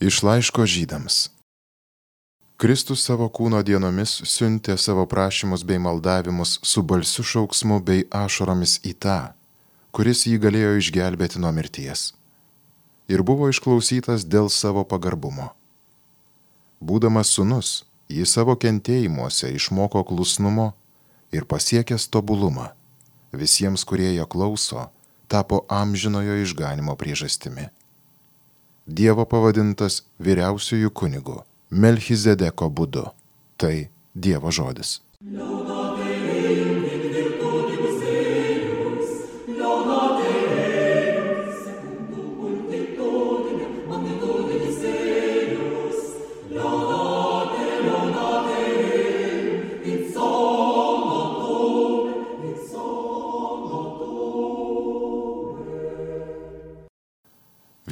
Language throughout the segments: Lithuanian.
Iš laiško Žydams. Kristus savo kūno dienomis siuntė savo prašymus bei maldavimus su balsiu šauksmu bei ašaromis į tą, kuris jį galėjo išgelbėti nuo mirties. Ir buvo išklausytas dėl savo pagarbumo. Būdamas sūnus, jis savo kentėjimuose išmoko klusnumo ir pasiekęs tobulumą. Visiems, kurie jo klauso, tapo amžinojo išganimo priežastimi. Dievo pavadintas vyriausiuoju kunigu Melchizedeko būdu. Tai Dievo žodis.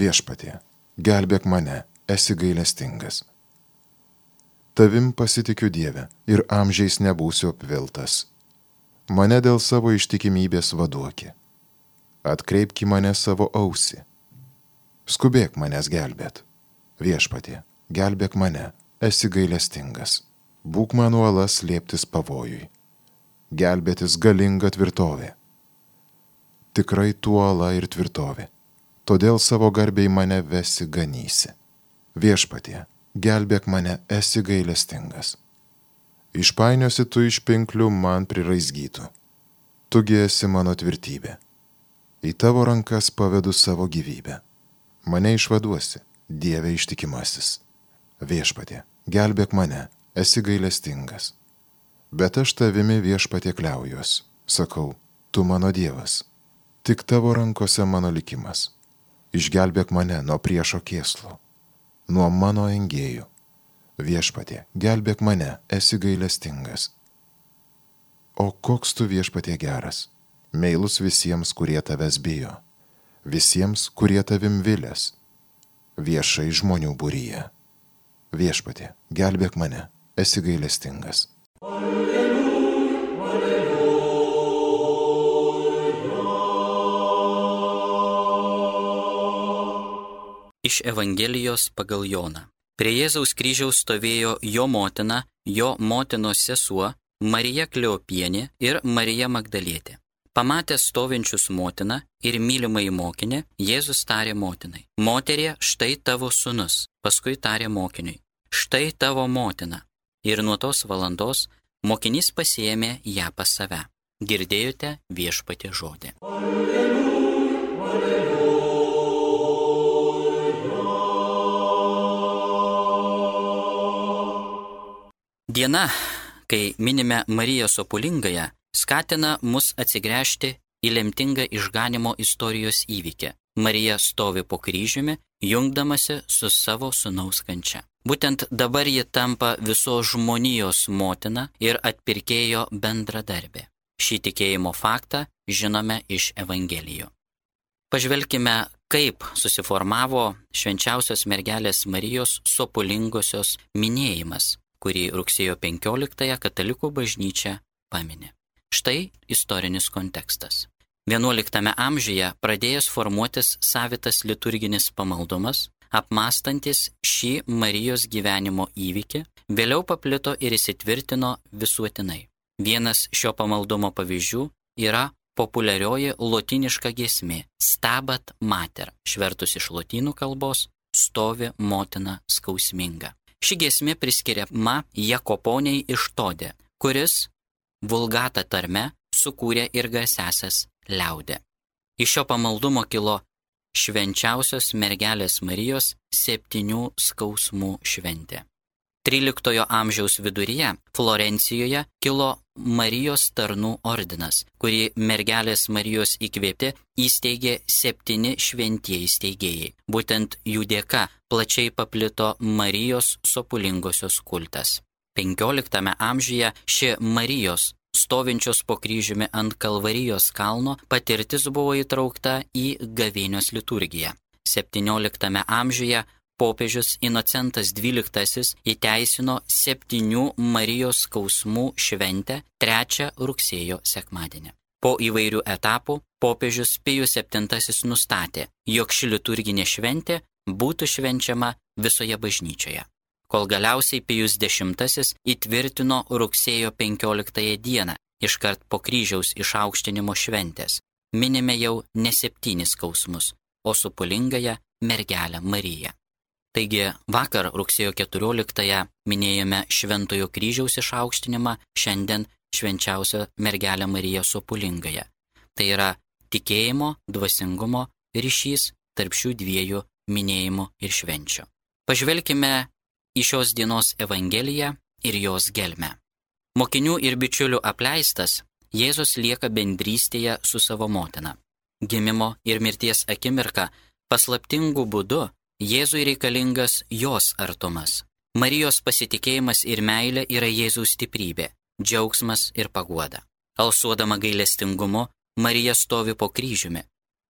Viešpatie, gelbėk mane, esi gailestingas. Tavim pasitikiu Dieve ir amžiais nebūsiu apviltas. Mane dėl savo ištikimybės vaduoki. Atkreipki mane savo ausį. Skubėk manęs gelbėt. Viešpatie, gelbėk mane, esi gailestingas. Būk man uola slėptis pavojui. Gelbėtis galinga tvirtovė. Tikrai tu uola ir tvirtovė. Todėl savo garbiai mane vesi ganysi. Viešpatie, gelbėk mane, esi gailestingas. Išpainiosi tu iš pinklių man priraizgytų. Tugi esi mano tvirtybė. Į tavo rankas pavedu savo gyvybę. Mane išvaduosi, Dieve ištikimasis. Viešpatie, gelbėk mane, esi gailestingas. Bet aš tavimi, Viešpatie, kliaujuos. Sakau, tu mano Dievas. Tik tavo rankose mano likimas. Išgelbėk mane nuo priešo kėslo, nuo mano engėjų. Viešpatie, gelbėk mane, esi gailestingas. O koks tu, Viešpatie, geras, meilus visiems, kurie tavęs bijo, visiems, kurie tavim vilės, viešai žmonių būryje. Viešpatie, gelbėk mane, esi gailestingas. Iš Evangelijos pagal Joną. Prie Jėzaus kryžiaus stovėjo jo motina, jo motinos sesuo, Marija Kleopienė ir Marija Magdalietė. Pamatęs stovinčius motiną ir mylimąjį mokinį, Jėzus tarė motinai: Moterie, štai tavo sūnus. Paskui tarė mokiniui: Štai tavo motina. Ir nuo tos valandos mokinys pasiėmė ją pas save. Girdėjote Viešpaties žodį. Diena, kai minime Mariją Sopulingąją, skatina mus atsigręžti į lemtingą išganimo istorijos įvykį. Marija stovi po kryžiumi, jungdamasi su savo sūnaus kančia. Būtent dabar ji tampa visos žmonijos motina ir atpirkėjo bendradarbė. Šį tikėjimo faktą žinome iš Evangelijų. Pažvelkime, kaip susiformavo švenčiausios mergelės Marijos Sopulingosios minėjimas, kurį rugsėjo 15-ąją katalikų bažnyčia pamini. Štai istorinis kontekstas. 11 amžiuje pradėjęs formuotis savitas liturginis pamaldumas, apmąstantis šį Marijos gyvenimo įvykį, vėliau paplito ir įsitvirtino visuotinai. Vienas šio pamaldumo pavyzdžių yra populiarioji lotyniška giesmė Stabat Mater, išvertus iš lotynų kalbos stovi motina skausminga. Ši giesmė priskiriama Jakoponiai iš Todė, kuris vulgata tarme sukūrė ir garsiąsias liaudę. Iš šio pamaldumo kilo švenčiausios mergelės Marijos 7 skausmų šventė. 13 amžiaus viduryje Florencijoje kilo Marijos tarnų ordinas, kurį mergelės Marijos įkvėpti įsteigė 7 šventieji steigėjai. Būtent jų dėka plačiai paplito Marijos Sopulingosios kultas. 15 amžiuje ši Marijos, stovinčios po kryžiumi ant Kalvarijos kalno, patirtis buvo įtraukta į gavėnios liturgiją. 17 amžiuje popiežius Inocentas XII įteisino 7 Marijos skausmų šventę 3 rugsėjo sekmadienį. Po įvairių etapų popiežius Pijus VII nustatė, jog ši liturginė šventė būtų švenčiama visoje bažnyčioje, kol galiausiai Pijus X įtvirtino rugsėjo 15 dieną, iškart po kryžiaus išaukštinimo šventės, minime jau ne 7 skausmus, o supulingąją mergelę Mariją. Taigi vakar rugsėjo 14 minėjome Šventojo kryžiaus išaukštinimą, šiandien švenčiausią mergelę Mariją supulingąją. Tai yra tikėjimo, dvasingumo ryšys tarp šių dviejų minėjimų ir švenčių. Pažvelkime į šios dienos Evangeliją ir jos gelmę. Mokinių ir bičiulių apleistas, Jėzus lieka bendrystėje su savo motina. Gimimo ir mirties akimirka paslaptingų būdu Jėzui reikalingas jos artumas. Marijos pasitikėjimas ir meilė yra Jėzaus stiprybė, džiaugsmas ir paguoda. Alsuodama gailestingumu, Marija stovi po kryžiumi,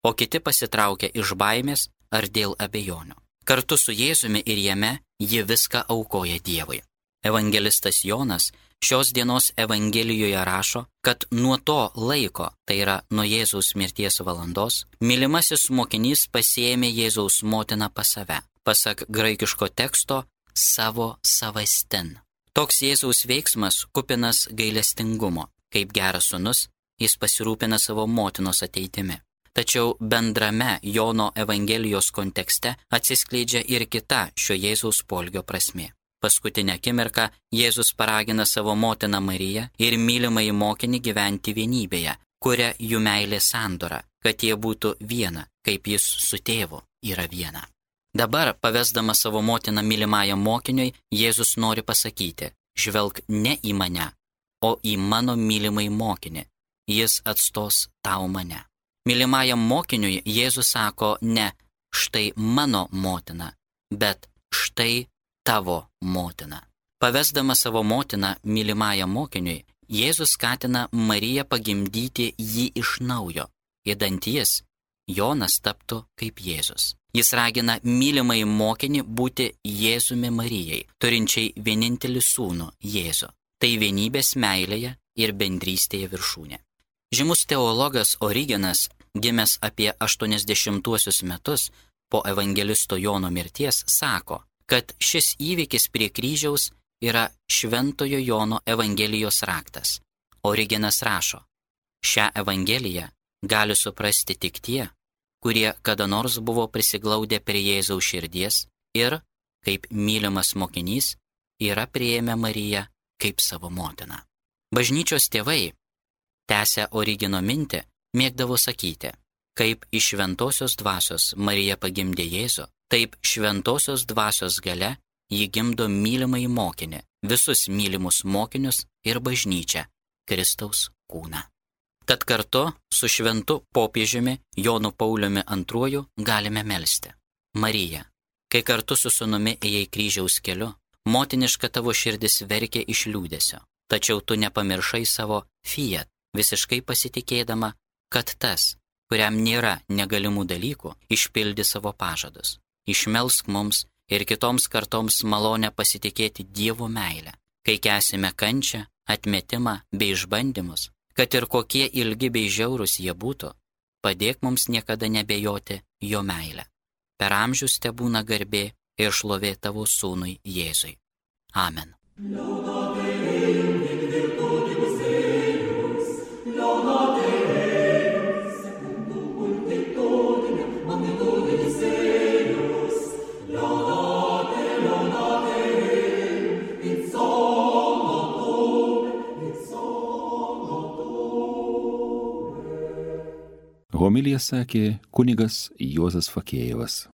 o kiti pasitraukia iš baimės ar dėl abejonių. Kartu su Jėzumi ir jame ji viską aukoja Dievui. Evangelistas Jonas šios dienos Evangelijoje rašo, kad nuo to laiko, tai yra nuo Jėzaus mirties valandos, mylimasis mokinys pasiėmė Jėzaus motiną pas save, pasak graikiško teksto savo savastin. Toks Jėzaus veiksmas kupinas gailestingumo. Kaip geras sūnus, jis pasirūpina savo motinos ateitimi. Tačiau bendrame Jono Evangelijos kontekste atsiskleidžia ir kita šio Jėzaus poelgio prasmė. Paskutinę akimirką Jėzus paragina savo motiną Mariją ir mylimąjį mokinį gyventi vienybėje, kuria jų meilė sandora, kad jie būtų viena, kaip jis su tėvu yra viena. Dabar, pavesdama savo motiną mylimajam mokiniui, Jėzus nori pasakyti: žvelk ne į mane, o į mano mylimąjį mokinį, jis atstos tau mane. Mylimajam mokiniui Jėzus sako ne štai mano motina, bet štai tavo motina. Pavesdama savo motiną mylimajam mokiniui, Jėzus skatina Mariją pagimdyti jį iš naujo, idant jis, Jonas, taptų kaip Jėzus. Jis ragina mylimąjį mokinį būti Jėzumi Marijai, turinčiai vienintelį sūnų Jėzų. Tai vienybės meilėje ir bendrystėje viršūnė. Žymus teologas Origenas, gimęs apie 80 metus po evangelisto Jono mirties, sako, kad šis įvykis prie kryžiaus yra Šventojo Jono Evangelijos raktas. Origenas rašo: šią Evangeliją gali suprasti tik tie, kurie kada nors buvo prisiglaudę prie Jėzaus širdies ir, kaip mylimas mokinys, yra priėmę Mariją kaip savo motiną. Bažnyčios tėvai, tęsia Origeno mintį, mėgdavo sakyti: kaip iš šventosios dvasios Marija pagimdė Jėzų, taip šventosios dvasios gale ji gimdo mylimąjį mokinį, visus mylimus mokinius ir bažnyčią, Kristaus kūną. Tad kartu su šventu popiežiumi Jonu Pauliumi II galime melsti: Marija, kai kartu su sūnumi ėjai kryžiaus keliu, motiniška tavo širdis verkė iš liūdesio, tačiau tu nepamiršai savo fiat, visiškai pasitikėdama, kad tas, kuriam nėra negalimų dalykų, išpildi savo pažadus. Išmelsk mums ir kitoms kartoms malonę pasitikėti Dievo meilę, kai kęsime kančią, atmetimą bei išbandymus, kad ir kokie ilgi bei žiaurūs jie būtų, padėk mums niekada nebejoti jo meilę. Per amžius tebūna garbė ir šlovė tavo sūnui Jėzui. Amen. Homiliją sakė kunigas Juozas Fakėjevas.